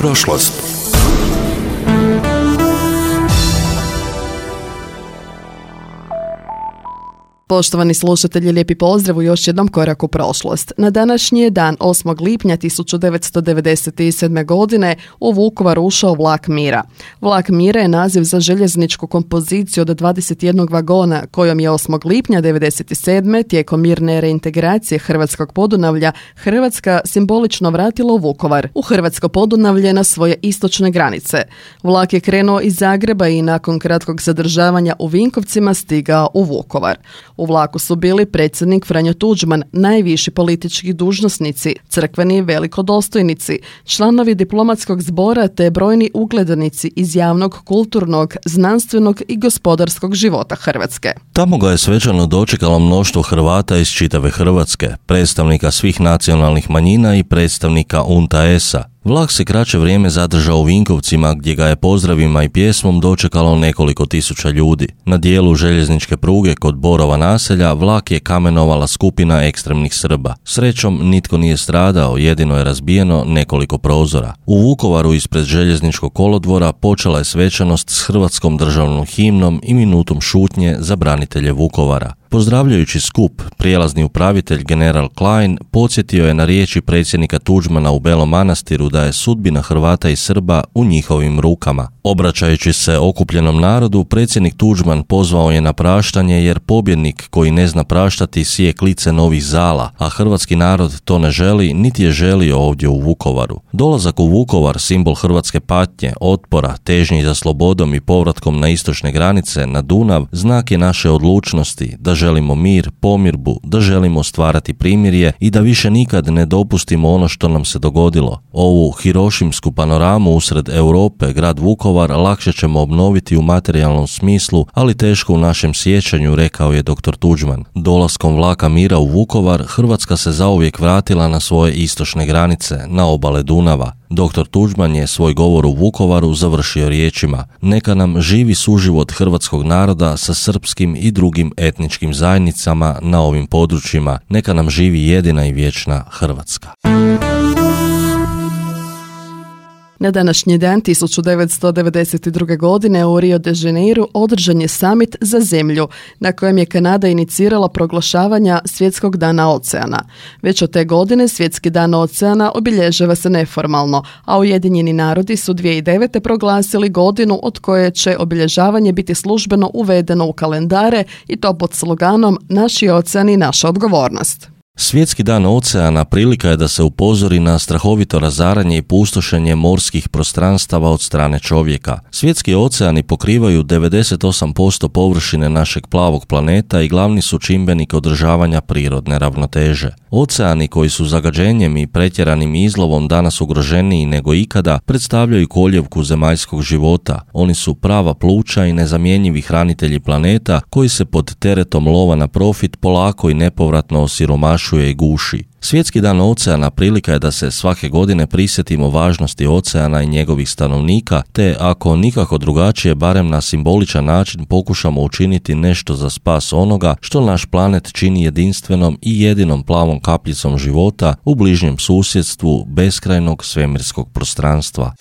prošlost. Poštovani slušatelji, lijepi pozdrav u još jednom koraku prošlost. Na današnji je dan 8. lipnja 1997. godine u Vukovar ušao vlak mira. Vlak mira je naziv za željezničku kompoziciju od 21 vagona kojom je 8. lipnja 1997. tijekom mirne reintegracije Hrvatskog Podunavlja Hrvatska simbolično vratila u Vukovar, u Hrvatsko Podunavlje na svoje istočne granice. Vlak je krenuo iz Zagreba i nakon kratkog zadržavanja u Vinkovcima stigao u Vukovar. U vlaku su bili predsjednik Franjo Tuđman, najviši politički dužnosnici, crkveni velikodostojnici, članovi diplomatskog zbora te brojni ugledanici iz javnog, kulturnog, znanstvenog i gospodarskog života Hrvatske. Tamo ga je svečano dočekalo mnoštvo Hrvata iz čitave Hrvatske, predstavnika svih nacionalnih manjina i predstavnika UNTA-a. Vlak se kraće vrijeme zadržao u Vinkovcima gdje ga je pozdravima i pjesmom dočekalo nekoliko tisuća ljudi. Na dijelu željezničke pruge kod Borova naselja vlak je kamenovala skupina ekstremnih Srba. Srećom nitko nije stradao, jedino je razbijeno nekoliko prozora. U Vukovaru ispred željezničkog kolodvora počela je svečanost s hrvatskom državnom himnom i minutom šutnje za branitelje Vukovara. Pozdravljajući skup, prijelazni upravitelj general Klein podsjetio je na riječi predsjednika Tuđmana u Belom Manastiru da je sudbina Hrvata i Srba u njihovim rukama. Obraćajući se okupljenom narodu, predsjednik Tuđman pozvao je na praštanje jer pobjednik koji ne zna praštati sije klice novih zala, a hrvatski narod to ne želi niti je želio ovdje u Vukovaru. Dolazak u Vukovar, simbol hrvatske patnje, otpora, težnji za slobodom i povratkom na istočne granice, na Dunav, znak je naše odlučnosti da želimo mir, pomirbu, da želimo stvarati primirje i da više nikad ne dopustimo ono što nam se dogodilo. Ovu hirošimsku panoramu usred Europe, grad Vukovar, lakše ćemo obnoviti u materijalnom smislu, ali teško u našem sjećanju, rekao je dr. Tuđman. Dolaskom vlaka mira u Vukovar, Hrvatska se zauvijek vratila na svoje istočne granice, na obale Dunava. Dr. Tuđman je svoj govor u Vukovaru završio riječima: neka nam živi suživot hrvatskog naroda sa srpskim i drugim etničkim zajednicama na ovim područjima, neka nam živi jedina i vječna Hrvatska. Na današnji dan 1992. godine u Rio de Janeiru održan je samit za zemlju na kojem je Kanada inicirala proglašavanja Svjetskog dana oceana. Već od te godine Svjetski dan oceana obilježava se neformalno, a Ujedinjeni narodi su 2009. proglasili godinu od koje će obilježavanje biti službeno uvedeno u kalendare i to pod sloganom Naši oceani, naša odgovornost. Svjetski dan oceana prilika je da se upozori na strahovito razaranje i pustošenje morskih prostranstava od strane čovjeka. Svjetski oceani pokrivaju 98% površine našeg plavog planeta i glavni su čimbenik održavanja prirodne ravnoteže. Oceani koji su zagađenjem i pretjeranim izlovom danas ugroženiji nego ikada predstavljaju koljevku zemaljskog života. Oni su prava pluća i nezamjenjivi hranitelji planeta koji se pod teretom lova na profit polako i nepovratno osiromašuje i guši. Svjetski dan oceana prilika je da se svake godine prisjetimo važnosti oceana i njegovih stanovnika, te ako nikako drugačije, barem na simboličan način pokušamo učiniti nešto za spas onoga što naš planet čini jedinstvenom i jedinom plavom kapljicom života u bližnjem susjedstvu beskrajnog svemirskog prostranstva.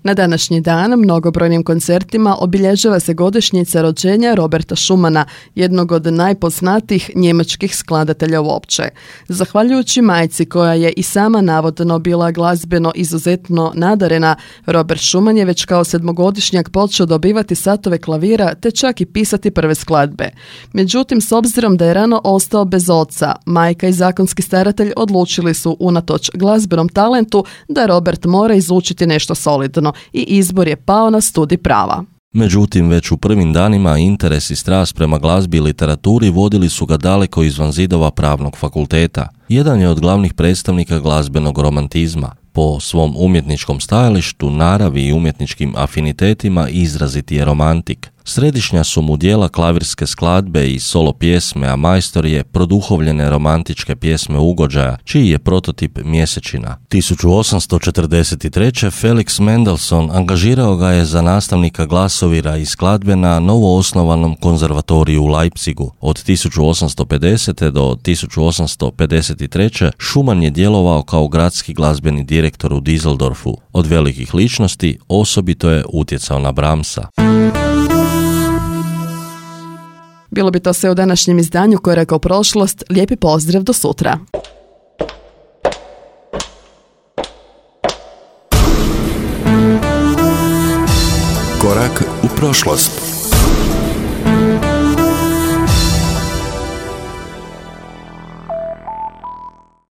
Na današnji dan mnogobrojnim koncertima obilježava se godišnjica rođenja Roberta Schumana, jednog od najpoznatijih njemačkih skladatelja uopće. Zahvaljujući majci koja je i sama navodno bila glazbeno izuzetno nadarena, Robert Schumann je već kao 7-godišnjak počeo dobivati satove klavira te čak i pisati prve skladbe. Međutim, s obzirom da je rano ostao bez oca, majka i zakonski staratelj odlučili su unatoč glazbenom talentu da Robert mora izučiti nešto solidno i izbor je pao na studij prava. Međutim, već u prvim danima interes i strast prema glazbi i literaturi vodili su ga daleko izvan zidova pravnog fakulteta. Jedan je od glavnih predstavnika glazbenog romantizma. Po svom umjetničkom stajalištu, naravi i umjetničkim afinitetima izraziti je romantik. Središnja su mu dijela klavirske skladbe i solo pjesme, a majstor je produhovljene romantičke pjesme ugođaja, čiji je prototip Mjesečina. 1843. Felix Mendelssohn angažirao ga je za nastavnika glasovira i skladbe na novoosnovanom konzervatoriju u Leipzigu. Od 1850. do 1853. Schumann je djelovao kao gradski glazbeni direktor u Düsseldorfu. Od velikih ličnosti osobito je utjecao na Brahmsa. Bilo bi to sve u današnjem izdanju Korak u prošlost. Lijepi pozdrav, do sutra. Korak u prošlost.